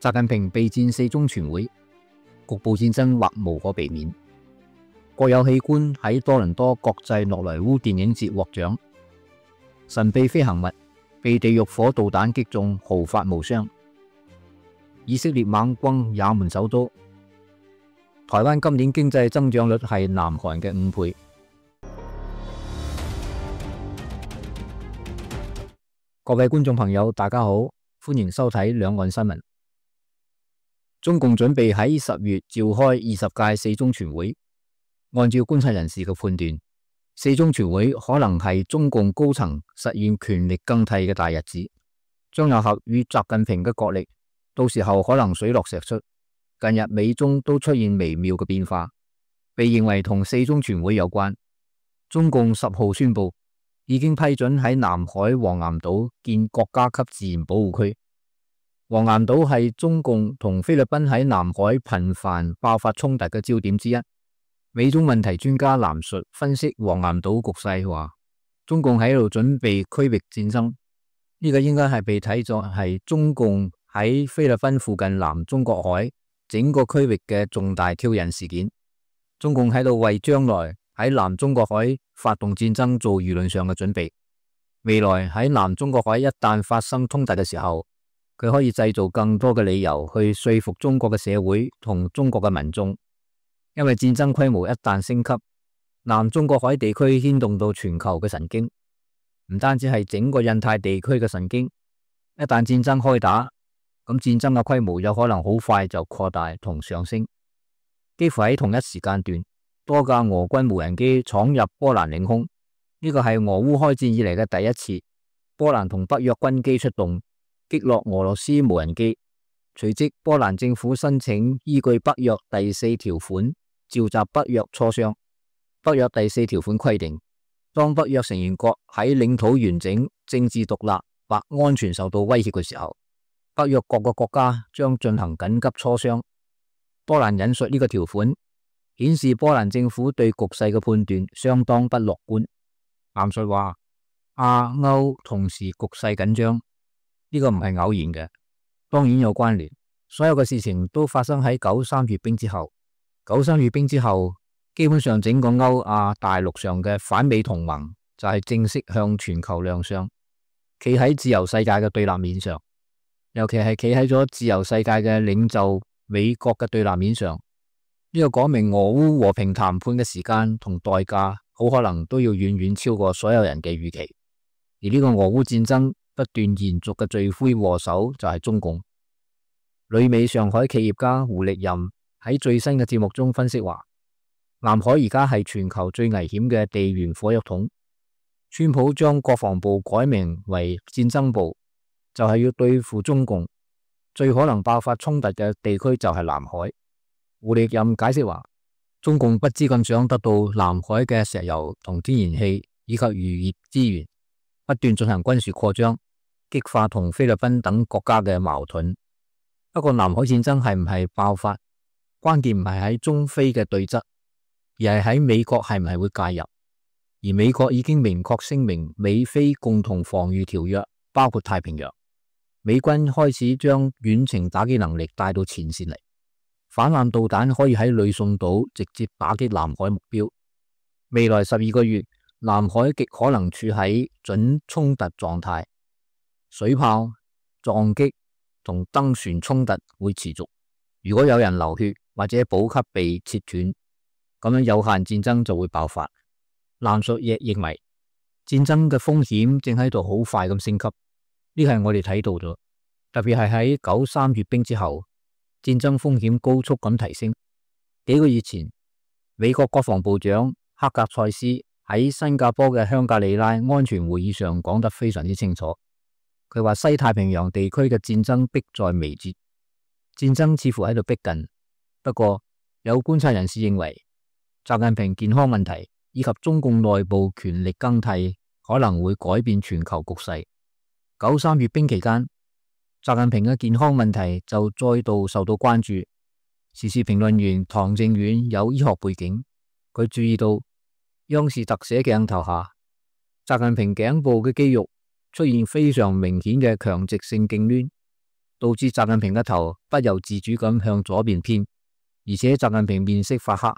習近平備戰四中全會，局部戰爭或無可避免。國有器官喺多倫多國際諾萊烏電影節獲獎。神秘飛行物被地獄火導彈擊中，毫髮無傷。以色列猛轟也門首都。台灣今年經濟增長率係南韓嘅5倍。各位觀眾朋友，大家好，歡迎收睇兩岸新聞。中共準備喺10月召開20屆四中全會。按照觀察人士嘅判斷，四中全會可能係中共高層實現權力更替嘅大日子，張又俠與習近平嘅角力，到時候可能水落石出。近日美中都出現微妙嘅變化，被認為同四中全會有關。中共10號宣布已經批准喺南海黃岩島建國家級自然保護區。黃岩島係中共同菲律賓喺南海頻繁爆發衝突嘅焦點之一。美中問題專家藍述分析黃岩島局勢話，中共喺度準備區域戰爭，呢個應該係被睇作係中共喺菲律賓附近南中國海整個區域嘅重大挑釁事件。中共喺度為將來喺南中國海發動戰爭做輿論上嘅準備。未來喺南中國海一旦發生衝突嘅時候，佢可以製造更多嘅理由去說服中國嘅社會同中國嘅民眾。因為戰爭規模一旦升級，南中國海地區牽動到全球嘅神經，唔單止係整個印太地區嘅神經。一旦戰爭開打，咁戰爭嘅規模有可能好快就擴大同上升。幾乎喺同一時間段，多架俄軍無人機闖入波蘭領空，呢個係俄烏開戰以嚟嘅第一次。波蘭同北約軍機出動，擊落俄羅斯無人機。隨即波蘭政府申請依據北約第4條款召集北約磋商。北約第4條款規定，當北約成員國喺領土完整、政治獨立或安全受到威脅嘅時候，北約各個國家將進行緊急磋商。波蘭引述呢個條款，顯示波蘭政府對局勢嘅判斷相當不樂觀。藍述話，亞歐同時局勢緊張，呢個唔係偶然嘅，當然有關聯。所有嘅事情都發生喺93閱兵之後。93閱兵之後，基本上整個歐亞大陸上嘅反美同盟就係正式向全球亮相，企喺自由世界嘅對立面上，尤其係企喺咗自由世界嘅領袖美國嘅對立面上。呢個講明俄烏和平談判嘅時間同代價好可能都要遠遠超過所有人嘅預期。而呢個俄烏戰爭不斷延續嘅罪魁禍首就係中共。旅美上海企業家胡力任喺最新嘅節目中分析話，南海而家係全球最危險嘅地緣火藥桶。川普將國防部改名為戰爭部，就係要對付中共。最可能爆發衝突嘅地區就係南海。胡力任解釋話，中共不知咁想得到南海嘅石油同天然氣以及漁業資源，不斷進行軍事擴張，激化同菲律賓等國家嘅矛盾。不過南海戰爭係唔係爆發，關鍵唔係喺中菲嘅對質，而係喺美國係唔係會介入。而美國已經明確聲明美菲共同防禦條約包括太平洋。美軍開始將遠程打擊能力帶到前線嚟，反艦導彈可以喺呂宋島直接打擊南海目標。未來12個月，南海極可能處喺準衝突狀態，水炮、撞擊同登船衝突會持續。如果有人流血或者補給被切斷，咁樣有限戰爭就會爆發。藍述亦認為戰爭嘅風險正喺度好快咁升級，呢個係我哋睇到咗，特別係喺93閱兵之後，戰爭風險高速咁提升。幾個月前，美國國防部長克格塞斯喺新加坡嘅香格里拉安全會議上講得非常之清楚。佢話西太平洋地區嘅戰爭迫在眉睫，戰爭似乎喺度逼近。不過有觀察人士認為，習近平健康問題以及中共內部權力更替可能會改變全球局勢。93閱兵期間，習近平嘅健康問題就再度受到關注。時事評論員唐正遠有醫學背景，佢注意到央視特寫鏡頭下，習近平頸部嘅肌肉出現非常明顯嘅強直性痙攣，導致習近平嘅頭不由自主咁向左邊偏，而且習近平面色發黑，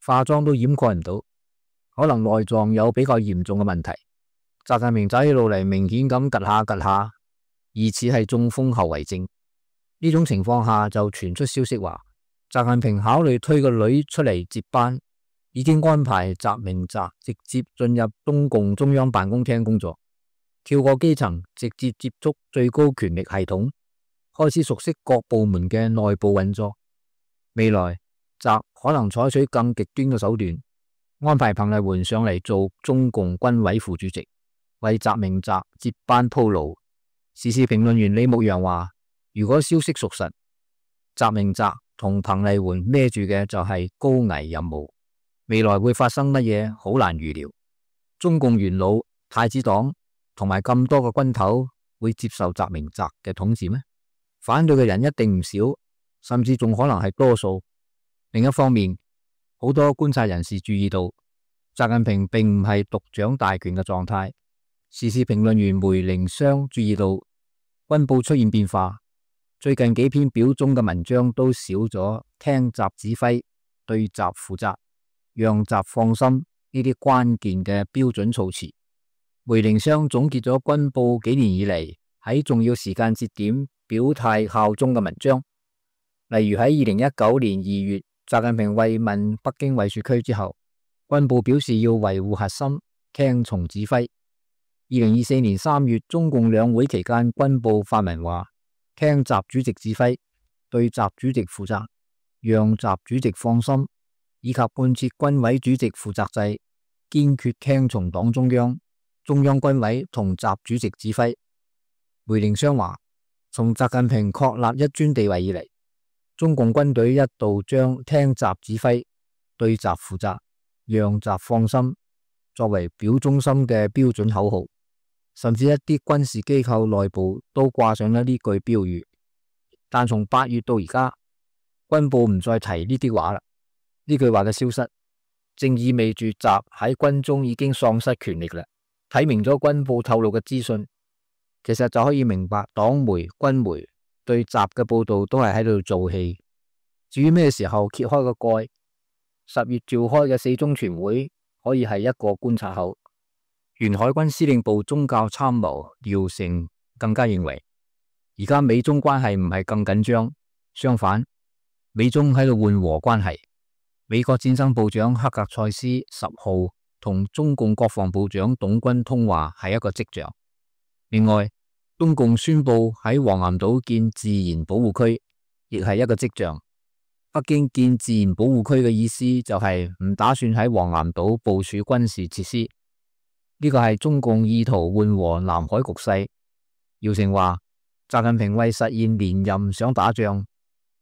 化妝都掩蓋唔到，可能內臟有比較嚴重嘅問題。習近平走起路嚟明顯咁趷下趷下，疑似係中風後遺症。呢種情況下就傳出消息話，習近平考慮推個女出嚟接班，已經安排習明澤直接進入中共中央辦公廳工作，跳過基層，直接接觸最高權力系統，開始熟悉各部門嘅內部運作。未來習可能採取更極端嘅手段，安排彭麗媛上嚟做中共軍委副主席，為習明澤接班鋪路。時事評論員李牧陽話，如果消息屬實，習明澤同彭麗媛孭住嘅就係高危任務，未來會發生乜嘢好難預料。中共元老、太子黨同埋咁多個軍頭會接受習明澤嘅統治咩？反對嘅人一定唔少，甚至仲可能係多數。另一方面，好多觀察人士注意到，習近平並唔係獨掌大權嘅狀態。時事評論員梅凌湘注意到，軍報出現變化，最近幾篇表忠嘅文章都少咗聽習指揮、對習負責、讓習放心呢啲關鍵嘅標準措辭。梅凌湘總結咗軍報幾年以嚟喺重要時間節點表態效忠嘅文章，例如喺2019年2月，習近平慰問北京衛戍區之後，軍報表示要維護核心，聽從指揮。2024年3月，中共兩會期間，軍報發文話，聽習主席指揮，對習主席負責，讓習主席放心，以及貫徹軍委主席負責制，堅決聽從黨中央、中央軍委同習主席指揮。梅凌湘話，從習近平確立一尊地位以嚟，中共軍隊一度將聽習指揮、對習負責、讓習放心作為表忠心嘅標準口號。甚至一啲軍事機構內部都掛上咗呢句標語，但從8月到而家，軍報唔再提呢啲話啦。呢句話嘅消失，正意味住習喺軍中已經喪失權力啦。睇明咗軍報透露嘅資訊，其實就可以明白黨媒、軍媒對習嘅報道都係喺度做戲。至於咩時候揭開個蓋，10月召開嘅4中全會可以係一個觀察口。原海軍司令部宗教參謀廖成更加認為，而家美中關係唔係更緊張，相反，美中喺度緩和關係。美國戰爭部長克格塞斯10號同中共國防部長董軍通話係一個跡象。另外，中共宣布喺黃岩島建自然保護區，亦係一個跡象。北京建自然保護區嘅意思就係唔打算喺黃岩島部署軍事設施。呢個係中共意圖緩和南海局勢。姚成話，習近平為實現連任想打仗，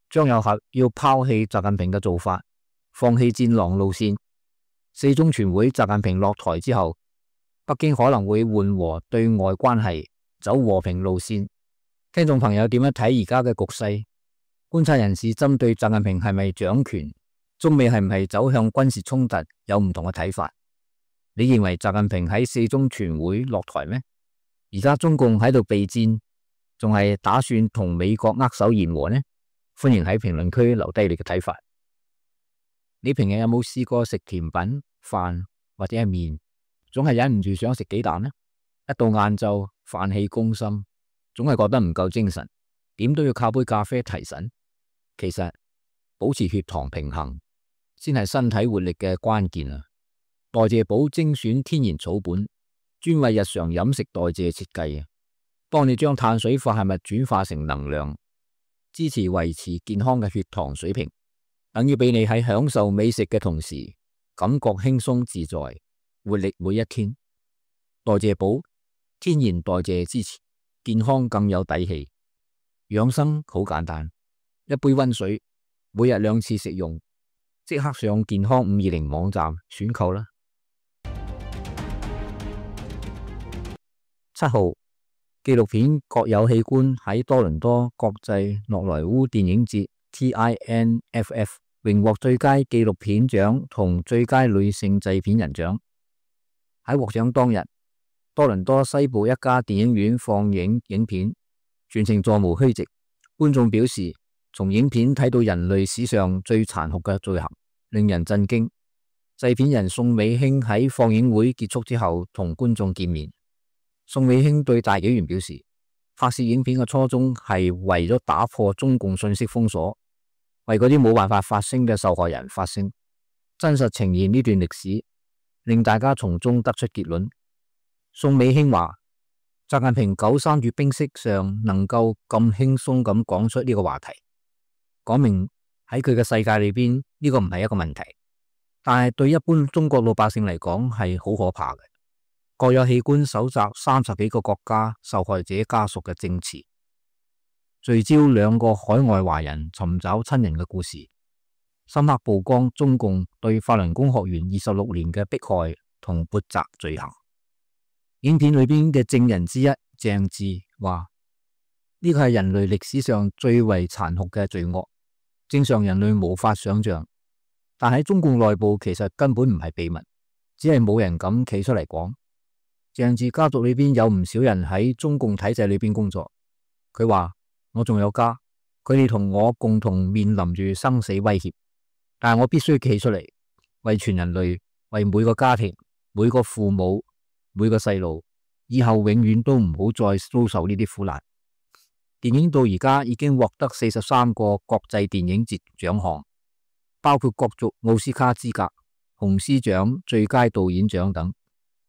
張又俠要拋棄習近平嘅做法，放棄戰狼路線。4中全會習近平落台之後，北京可能會緩和對外關係，走和平路線。聽眾朋友點樣睇而家嘅局勢？觀察人士針對習近平係咪掌權，中美係唔係走向軍事衝突有唔同嘅睇法。你認為習近平喺4中全會落台咩？而家中共喺度備戰，仲係打算同美國握手言和呢？歡迎喺評論區留低你嘅睇法。你平日有冇試過食甜品、飯或者係麵，總係忍唔住想食幾啖呢？一到晏晝飯氣攻心，總係覺得唔夠精神，點都要靠杯咖啡提神。其實保持血糖平衡先係身體活力嘅關鍵啊！代謝寶精選天然草本，專為日常飲食代謝設計，幫你將碳水化合物轉化成能量，支持維持健康嘅血糖水平，等於俾你喺享受美食嘅同時，感覺輕鬆自在，活力每一天。代謝寶天然代謝支持，健康更有底氣。養生好簡單，一杯溫水，每日2次食用，即刻上健康520網站選購啦。7號，紀錄片《各有器官》喺多倫多國際諾萊烏電影節 TINFF 榮獲最佳紀錄片獎同最佳女性製片人獎。喺獲獎當日，多倫多西部一家電影院放映影片，全程座無虛席，觀眾表示，從影片睇到人類史上最殘酷嘅罪行，令人震驚。製片人宋美興喺放映會結束之後同觀眾見面。宋美興對大紀元表示，拍攝影片嘅初衷係為咗打破中共信息封鎖，為嗰啲冇辦法發聲嘅受害人發聲，真實呈現呢段歷史，令大家從中得出結論。宋美興話，習近平93月冰釋上能夠咁輕鬆咁講出呢個話題，講明喺佢嘅世界裏邊呢個唔係一個問題，但係對一般中國老百姓嚟講係好可怕嘅。國有器官搜集30幾個國家受害者家屬嘅證詞，聚焦2個海外華人尋找親人嘅故事，深刻曝光中共對法輪功學員26年嘅迫害同潑責罪行。影片裏邊嘅證人之一鄭智話，呢個係人類歷史上最為殘酷嘅罪惡，正常人類無法想象，但喺中共內部其實根本唔係秘密，只係冇人敢企出嚟講。鄭智家族裏邊有唔少人喺中共體制裏邊工作，佢話，我仲有家，佢哋同我共同面臨住生死威脅，但係我必須企出嚟，為全人類，為每個家庭、每個父母、每個細路，以後永遠都唔好再遭受呢啲苦難。電影到而家已經獲得43個國際電影節獎項，包括角逐奧斯卡資格、紅獅獎、最佳導演獎等。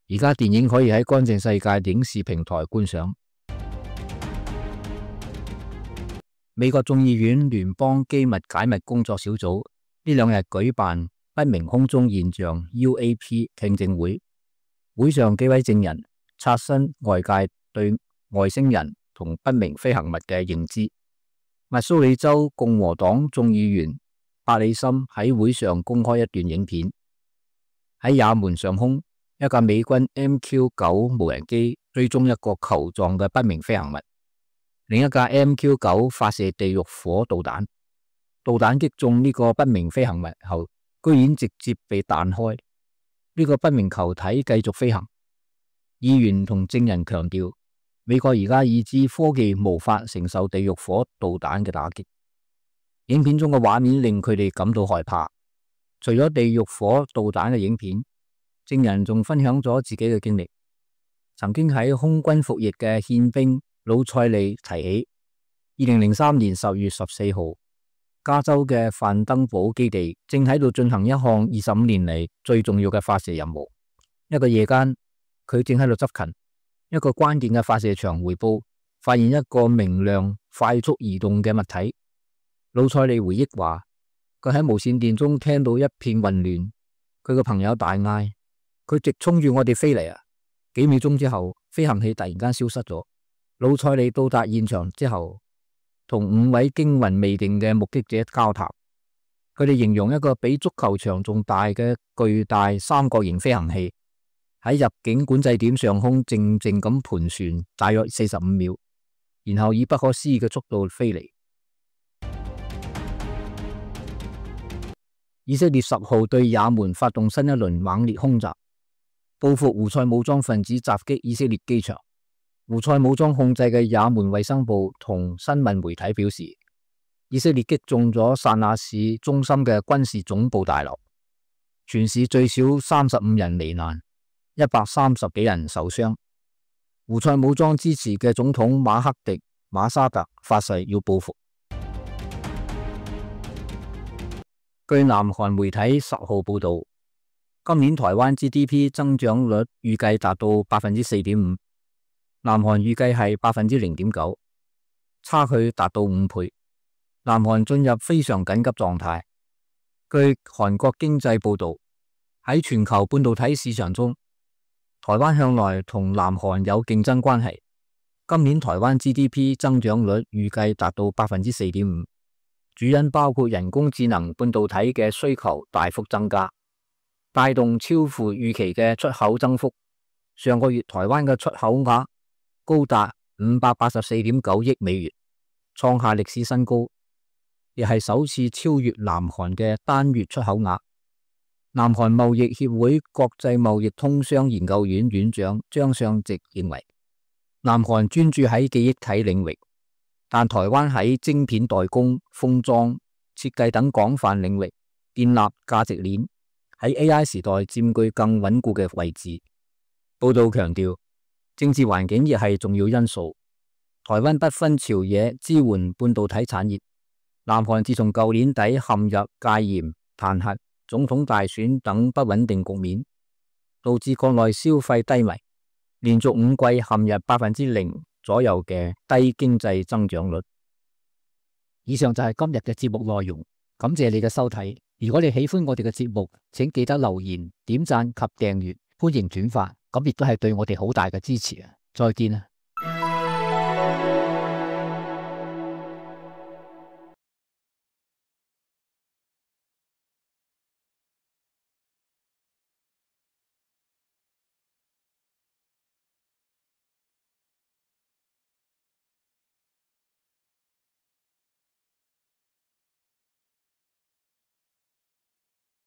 而家電影可以喺乾淨世界影視平台觀賞。美國眾議院聯邦機密解密工作小組呢2日舉辦不明空中現象 UAP 聽證會，會上幾位證人刷新外界對外星人同不明飛行物嘅認知。密蘇里州共和黨眾議員伯里森喺會上公開一段影片，喺也門上空，一架美軍 MQ-9 無人機追蹤一個球狀嘅不明飛行物，另一架 MQ-9 發射地獄火導彈，導彈擊中呢個不明飛行物後，居然直接被彈開，呢個不明球體繼續飛行。議員同證人強調，美國而家已知科技無法承受地獄火導彈嘅打擊。影片中嘅畫面令佢哋感到害怕。除咗地獄火導彈嘅影片，證人仲分享咗自己嘅經歷。曾經喺空軍服役嘅憲兵魯塞利提起，2003年10月14號，加州嘅范登堡基地正喺度進行一項25年嚟最重要嘅發射任務。一個夜間，佢正喺度執勤，一個關鍵嘅發射場回報發現一個明亮、快速移動嘅物體。魯塞利回憶話，佢喺無線電中聽到一片混亂，佢個朋友大嗌，佢直衝住我哋飛嚟啊！幾秒鐘之後，飛行器突然間消失咗。魯塞利到達現場之後，同5位驚魂未定嘅目擊者交談，佢哋形容一個比足球場仲大嘅巨大三角形飛行器喺入境管制點上空靜靜咁盤旋大約45秒，然後以不可思議嘅速度飛嚟。以色列10號對也門發動新一輪猛烈空襲，報復胡塞武裝分子襲擊以色列機場。胡塞武裝控制嘅也門衛生部同新聞媒體表示，以色列擊中咗薩那市中心嘅軍事總部大樓，全市最少35人罹難，130幾人受傷。胡塞武裝支持嘅總統馬克迪馬沙特發誓要報復。據南韓媒體10號報道，今年台灣 GDP 增長率預計達到 4.5%， 南韓預計係 0.9%， 差距達到5倍。南韓進入非常緊急狀態。據韓國經濟報道，喺全球半導體市場中，台灣向來同南韓有競爭關係。今年台灣 GDP 增長率預計達到 4.5%， 主因包括人工智能半導體嘅需求大幅增加，帶動超乎預期嘅出口增幅。上個月台灣嘅出口額高達 584.9 億美元，創下歷史新高，亦係首次超越南韓嘅單月出口額。南韓貿易協會國際貿易通商研究院院長張相直認為，南韓專注喺記憶體領域，但台灣喺晶片代工、封裝、設計等廣泛領域建立價值鏈，喺 AI 時代佔據更穩固嘅位置。報道強調，政治環境亦係重要因素。台灣不分朝野支援半導體產業，南韓自從舊年底陷入戒嚴、彈劾、總統大選等不穩定局面，導致國內消費低迷，連續5季陷入0%左右嘅低經濟增長率。以上就係今日嘅節目內容，感謝你嘅收睇。如果你喜歡我哋嘅節目，請記得留言、點讚及訂閱，歡迎轉發，咁亦都係對我哋好大嘅支持啊！再見啊！